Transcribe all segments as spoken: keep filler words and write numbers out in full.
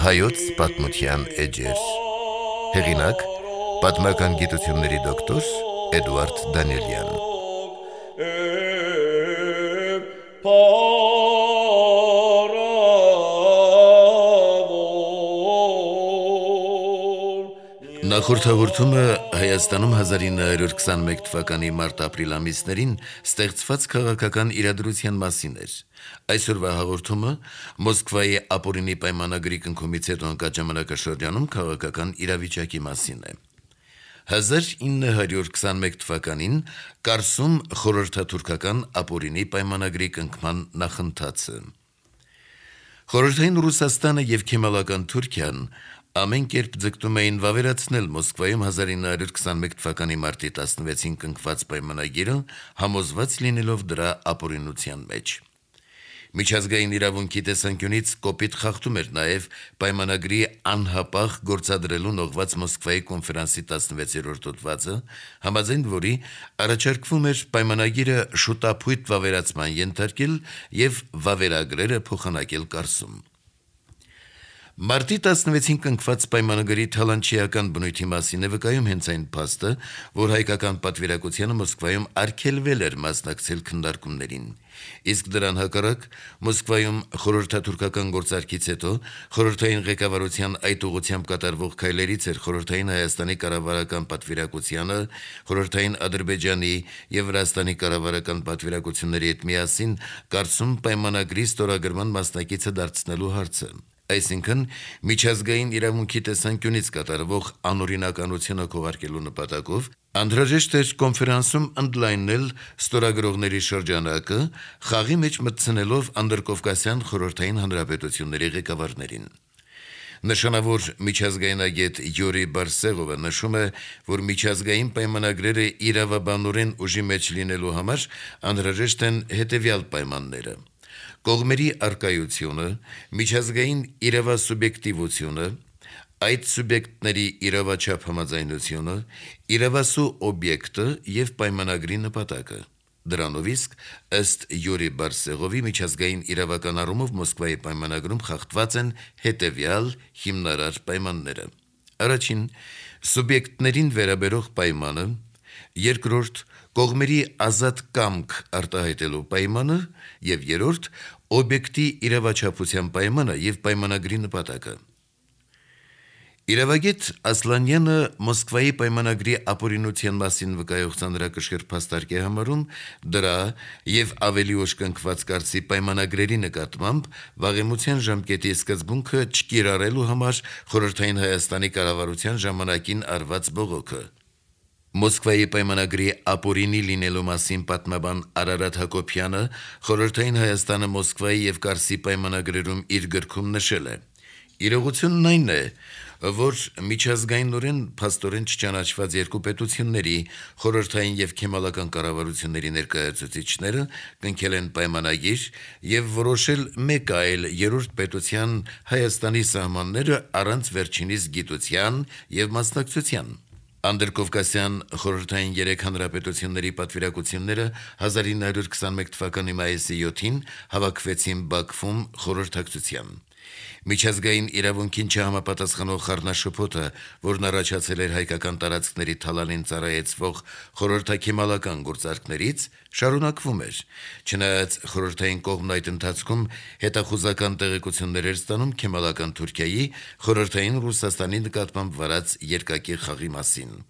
Հայոց պատմության էջեր։ Հեղինակ՝ պատմական գիտությունների դոկտոր Էդուարդ Դանիելյան։ Նախորդ հաղորդումը Հայաստանում հազար ինը հարյուր քսաներեք թվականի մարտ-ապրիլ ամիսներին ստեղծված քաղաքական իրադրության մասին էր։ Այսօրվա հաղորդումը Մոսկվայի ապօրինի պայմանագրի կնքումից հետո ընկած ժամանակաշրջանում քաղաքական իրավիճակի մասին է։ հազար ինը հարյուր քսաներեք թվականին Կարսում խորհրդաթուրքական ապօրինի պայմանագրի կնքման նախընթացը։ Խորհրդային Ռուսաստանը եւ Քեմալական Թուրքիան ամեն կերպ ձգտում էին վավերացնել Մոսկվայում հազար ինը հարյուր քսաներեք թվականի մարտի տասնվեցին կնքված պայմանագիրը, համոզված լինելով դրա ապօրինության մեջ։ Միջազգային իրավունքի տեսանկյունից կոպիտ խախտում էր նաև պայմանագրի անհապաղ գործադրելուն ուղղված Մոսկվայի կոնֆերանսի տասնվեցերորդ հոդվածը, համաձայն որի առաջարկվում էր պայմանագիրը շուտափույթ վավերացման ենթարկել եւ վավերագրերը փոխանակել Կարսում։ Մարտի տասնվեցին կնքված պայմանագրի թալանչիական բնույթի մասին է վկայում հենց այն փաստը, որ հայկական պատվիրակությանը Մոսկվայում արգելվել էր մասնակցել քննարկումներին։ Իսկ դրան հակառակ Մոսկվայում խորհրդաթուրքական գործարքից հետո խորհրդային ղեկավարության այդ ուղղությամբ կատարվող քայլերից էր Խորհրդային Հայաստանի կառավարական պատվիրակությանը Խորհրդային Ադրբեջանի եւ Վրաստանի կառավարական պատվիրակությունների հետ միասին Կարսում պայմանագրի ստորագրման մասնակիցը դարձնելու հարցը։ Այսինքն, միջազգային իրավունքի տեսանկյունից կատարվող անօրինականությունը քողարկելու նպատակով անհրաժեշտ էր կոնֆերանսում ընդլայնել ստորագրողների շրջանակը, խաղի մեջ մտցնելով անդրկովկասյան խորհրդային հանրապետությունների ղեկավարներին։ Նշանավոր միջազգայնագետ Յուրի Բարսեղովը նշում է, որ միջազգային պայմանագրերը իրավաբանորեն ուժի մեջ լինելու համար անհրաժեշտ են հետևյալ պայմանները. կողմերի առկայությունը, միջազգային իրավասուբյեկտիվությունը, այդ սուբյեկտների իրավաչափ համաձայնությունը, իրավասու օբյեկտը եւ պայմանագրի նպատակը։ Դրանով իսկ ըստ Յուրի Բարսեղովի միջազգային իրավական առումով Մոսկվայի պայմանագրում խախտված են հետևյալ հիմնարար պայմանները. Առաջին՝ սուբյեկտներին վերաբերող պայմանը, երկրորդ՝ կողմերի ազատ կամք արտահայտելու պայմանը եւ երրորդ՝ օբյեկտի իրավաչափության պայմանը եւ պայմանագրի նպատակը։ Իրավագետ Ասլանյանը Մոսկվայի պայմանագրի ապօրինության մասին վկայող ծանրակշիռ փաստարկ է համարում դրա եւ ավելի ուշ կնքված Կարսի պայմանագրերի նկատմամբ վաղեմության ժամկետի սկզբունքը չկիրառելու համար Խորհրդային Հայաստանի կառավարության ժամանակին արված բողոքը։ Մոսկվայի պայմանագրի ապօրինի լինելու մասին պատմաբան Արարատ Հակոբյանը Խորհրդային Հայաստանը Մոսկվայի եւ Կարսի պայմանագրերում իր գրքում նշել է. Իրողությունն այն է, որ միջազգայինորեն փաստորեն չճանաչված երկու պետությունների խորհրդային եւ քեմալական կառավարությունների ներկայացուցիչները կնքել են պայմանագիր եւ որոշել մեկ այլ երրորդ պետության Հայաստանի սահմանները առանց վերջինիս գիտության եւ մասնակցության։ Անդրկովկասյան խորհրդային երեք հանրապետությունների պատվիրակությունները հազար ինը հարյուր քսաներեք թվականի մայիսի յոթին հավաքվեցին Բաքվում խորհրդակցության։ Միջազգային իրավունքին չհամապատասխանող խառնաշփոթը, որն առաջացել էր հայկական տարածքների թալանին ծառայեցվող խորհրդաքեմալական գործարքներից, շարունակվում էր, չնայած խորհրդային կողմն այդ ընթացքում հետախուզական տեղեկություններ էր ստանում Քեմալական Թուրքիայի խորհրդային Ռուսաստանի նկատմամբ վարած երկակի խաղի մասին։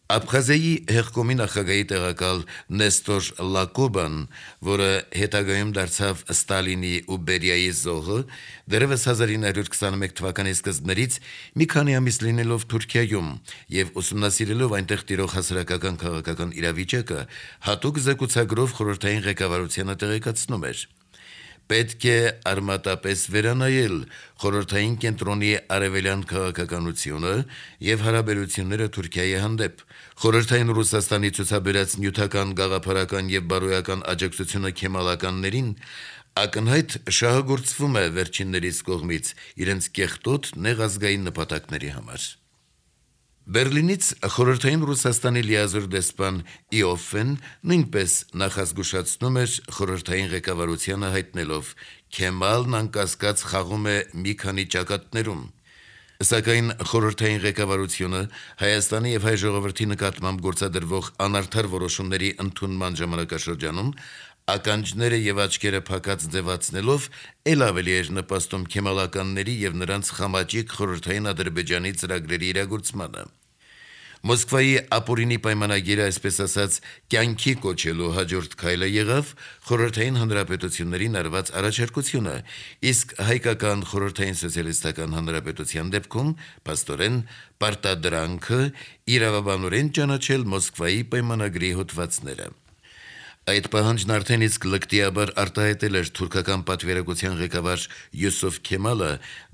Աբխազիայի հեղկոմի նախագահի տեղակալ Նեստոր Լակոբան, որը հետագայում դարձավ Ստալինի ու Բերիայի զոհը, դեռևս հազար ինը հարյուր քսաներեք թվականի սկզբներից մի քանի ամիս լինելով Թուրքիայում եւ ուսումնասիրելով այնտեղ տիրող հասարակական քաղաքական իրավիճակը, հատուկ զեկուցագրով խորհրդային ղեկավարությանը տեղեկացնում էր. Պետք է արմատապես վերանայել խորհրդային կենտրոնի արևելյան քաղաքականությունը եւ հարաբերությունները Թուրքիայի հանդեպ։ Խորհրդային Ռուսաստանի ցուցաբերած նյութական, գաղափարական եւ բարոյական աջակցությունը քեմալականներին ակնհայտ շահագործվում է վերջիններիս կողմից իրենց կեղտոտ նեղ ազգային նպատակների համար։ Բերլինից խորհրդային Ռուսաստանի լիազոր դեսպան Իոֆեն նույնպես նախազգուշացնում էր խորհրդային ղեկավարությանը հայտնելով Քեմալն անկասկած խաղում է մի քանի ճակատներում։ Սակայն խորհրդային ղեկավարությունը Հայաստանի եւ հայ ժողովրդի նկատմամբ գործադրվող անարդար որոշումների ընդունման ժամանակաշրջանում ականջները եւ աչքերը փակած ձևացնելով ել ավելի էր նպաստում քեմալականների եւ նրանց խամաճիկ խորհրդային Ադրբեջանի ծրագրերի իրագործմանը։ Մոսկվայի ապօրինի պայմանագիրը, այսպես ասած, կյանքի կոչելու հաջորդ քայլը եղավ խորհրդային հանրապետություններին արված առաջարկությունը, իսկ հայկական խորհրդային սոցիալիստական հանրապետության դեպքում փաստորեն պարտադրանքը իրավաբանորեն ճանաչել Մոսկվայի պայմանագրի հոդվածները։ Այդ պահանջն արդեն իսկ լկտիաբար արտահայտել էր թուրքական պատվիրակության ղեկավար Յուսուֆ Քեմալը,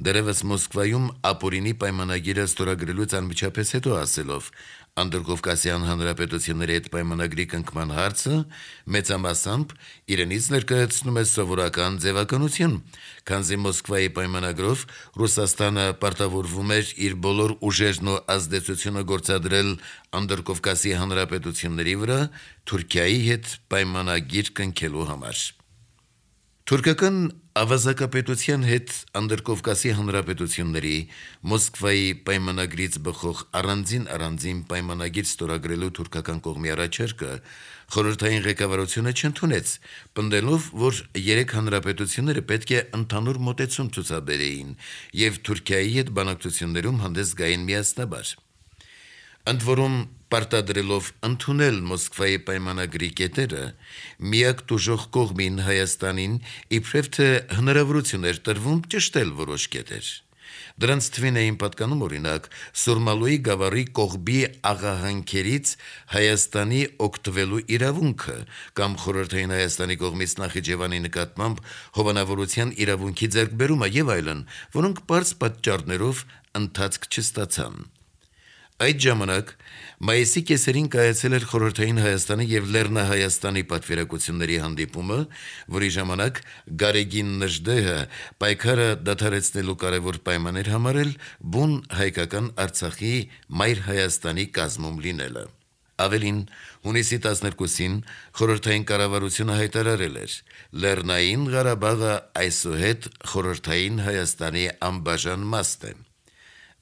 դեռևս Մոսկվայում ապօրինի պայմանագիրը ստորագրելուց անմիջապես հետո ասելով. Անդրկովկասյան հանրապետությունների հետ պայմանագրի կնքման հարցը մեծամասամբ իրենից ներկայացնում է սովորական ձևականություն, քանզի Մոսկվայի պայմանագրով Ռուսաստանը պարտավորվում էր իր բոլոր ուժերն ու ազդեցությունը գործադրել Անդրկովկասի հանրապետությունների վրա Թուրքիայի հետ պայմանագիր կնքելու համար։ Թուրքական ավազակապետության հետ Անդրկովկասի հանրապետությունների Մոսկվայի պայմանագրից բխող առանձին առանձին պայմանագիր ստորագրելու թուրքական կողմի առաջարկը խորհրդային ղեկավարությունը չընդունեց, պնդելով, որ երեք հանրապետությունները պետք է ընդհանուր մոտեցում ցուցաբերեին եւ Թուրքիայի հետ բանակցություններում հանդես գային միասնաբար։ Ընդ որում պարտադրելով ընդունել Մոսկվայի պայմանագրի կետերը, միակ տուժող կողմին Հայաստանին իբրև թե հնարավորություն էր տրվում ճշտել որոշ կետեր։ Դրանց թվին էին պատկանում օրինակ Սուրմալուի գավառի կողբի աղահանքերից Հայաստանի օգտվելու իրավունքը կամ խորհրդային Հայաստանի կողմից Նախիջևանի նկատմամբ հովանավորության իրավունքի ձեռքբերումը եւ այլն, որոնք բարձ պատճառներով ընթացք չստացան։ Այդ ժամանակ մայիսի կեսերին կայացել էր խորհրդային Հայաստանի եւ Լեռնահայաստանի պատվիրակությունների հանդիպումը, որի ժամանակ Գարեգին Նժդեհը պայքարը դադարեցնելու կարևոր պայման էր համարել բուն հայկական Արցախի Մայր Հայաստանի կազմում լինելը։ Ավելին, հունիսի տասներկուսին խորհրդային կառավարությունը հայտարարել էր. Լեռնային Ղարաբաղը այսուհետ խորհրդային Հայաստանի անբաժան մասն է։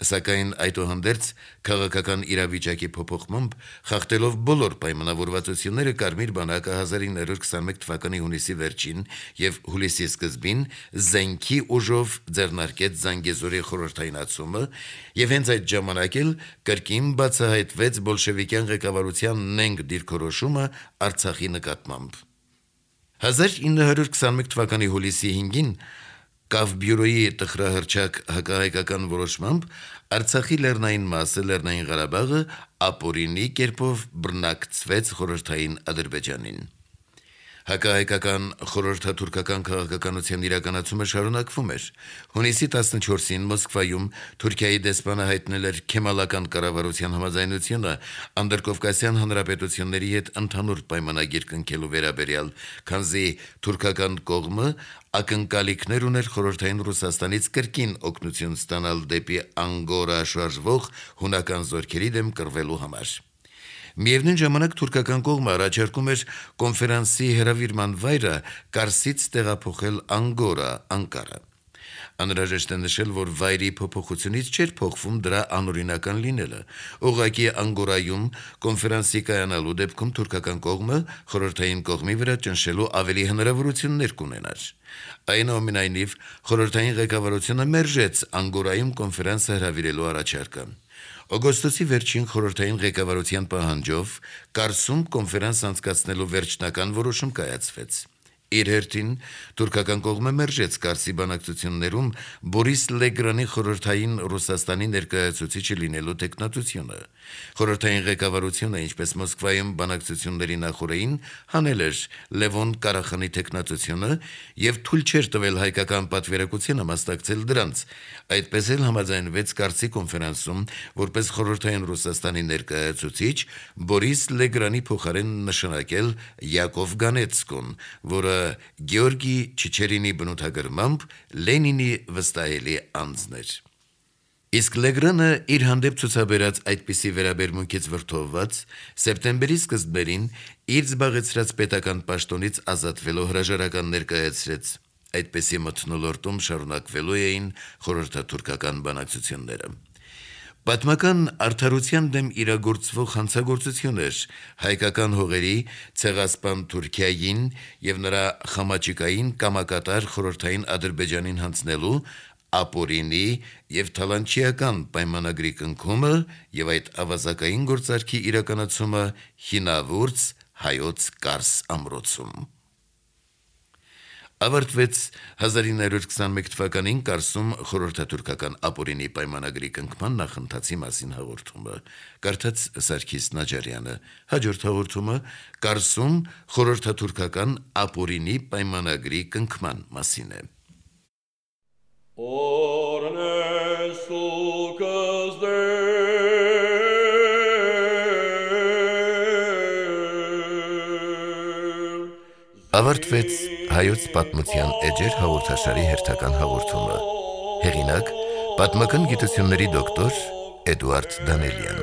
Սակայն այդուհանդերձ քաղաքական իրավիճակի փոփոխմամբ խախտելով բոլոր պայմանավորվածությունները Կարմիր բանակը հազար ինը հարյուր քսաներկու թվականի հունիսի վերջին եւ հուլիսի սկզբին զենքի ուժով ձեռնարկեց Զանգեզուրի խորհրդայնացումը եւ հենց այդ ժամանակ էլ կրկին բացահայտվեց բոլշևիկյան ղեկավարության նենգ դիրքորոշումը Արցախի նկատմամբ։ հազար ինը հարյուր քսաներկու թվականի հուլիսի հինգին Կավբյուրոյի տխրահռչակ հակահայկական որոշմամբ Արցախի լեռնային մասը Լեռնային Ղարաբաղը ապօրինի կերպով բռնակցվեց խորհրդային Ադրբեջանին։ Հակահայկական խորհրդաթուրքական քաղաքականության իրականացումը շարունակվում էր։ Հունիսի տասնչորսին Մոսկվայում Թուրքիայի դեսպանը հայտնել էր քեմալական կառավարության համաձայնությունը Անդրկովկասյան հանրապետությունների հետ ընդհանուր պայմանագիր կնքելու վերաբերյալ, քանզի թուրքական կողմը ակնկալիքներ ուներ խորհրդային Ռուսաստանից կրկին օգնություն ստանալ դեպի Անգորա շարժվող հունական զորքերի դեմ կռվելու համար։ Միևնույն ժամանակ թուրքական կողմը առաջարկում էր կոնֆերանսի հրավիրման վայրը Կարսից տեղափոխել Անգորա, Անկարա։ Անհրաժեշտ է նշել, որ վայրի փոփոխությունից չէր փոխվում դրա անօրինական լինելը։ Ուղղակի Անգորայում կոնֆերանսի կայանալու դեպքում թուրքական կողմը խորհրդային կողմի վրա ճնշելու ավելի հնարավորություններ կունենար։ Այնուամենայնիվ, խորհրդային ղեկավարությունը մերժեց Անգորայում կոնֆերանսը հրավիրելու առաջարկը։ Օգոստոսի վերջին խորհրդային ղեկավարության պահանջով Կարսում կոնֆերանս անցկացնելու վերջնական որոշում կայացվեց։ Իր հերթին թուրքական կողմը մերժեց Կարսի բանակցություններում Բորիս Լեգրանի խորհրդային Ռուսաստանի ներկայացուցիչը լինելու տեխնատությունը։ Խորհրդային ղեկավարությունը, ինչպես Մոսկվայում բանակցությունների նախորդին, հանել էր Լևոն Կարախանի տեխնատությունը եւ թույլ չէր տվել հայկական պատվիրակությանը մասնակցել դրանց։ Այդպես էլ համաձայնվեց Կարսի կոնֆերանսում որպես խորհրդային Ռուսաստանի ներկայացուցիչ Բորիս Լեգրանի փոխարեն նշանակել Յակով Գանեցկուն, որը Գեորգի Չիչերինի բնութագրմամբ Լենինի վստահելի անձն էր։ Իսկ Լեգրանը իր հանդեպ ցուցաբերած այդպիսի վերաբերմունքից վրդովված սեպտեմբերի սկզբերին իր զբաղեցրած պետական պաշտոնից ազատվելու հրաժարական ներկայացրեց։ Այդպիսի մթնոլորտում շարունակվելու էին խորհրդատուրքական բանակցությունները։ Պատմական արդարության դեմ իրագործվող հանցագործություն էր հայկական հողերի ցեղասպան Թուրքիային եւ նրա խամաճիկային կամակատար խորհրդային Ադրբեջանին հանձնելու ապօրինի եւ թալանչիական պայմանագրի կնքումը եւ այդ ավազակային գործարքի իրականացումը հինավուրց հայոց Կարս ամրոցում։ Ավարտվեց հազար ինը հարյուր քսանմեկ թվականին Կարսում խորհրդատուրքական ապօրինի պայմանագրի կնքման նախընթացի մասին հաղորդումը։ Կարդաց Սարգիս Նաջարյանը։ Հաջորդ հաղորդումը Կարսում խորհրդատուրքական ապօրինի պայմանագրի կնքման մասին է։ Ավարտվեց հայոց պատմության էջեր հաղորդաշարի հերթական հաղորդումը։ Հեղինակ՝ պատմական գիտությունների դոկտոր Էդուարդ Դանելյան։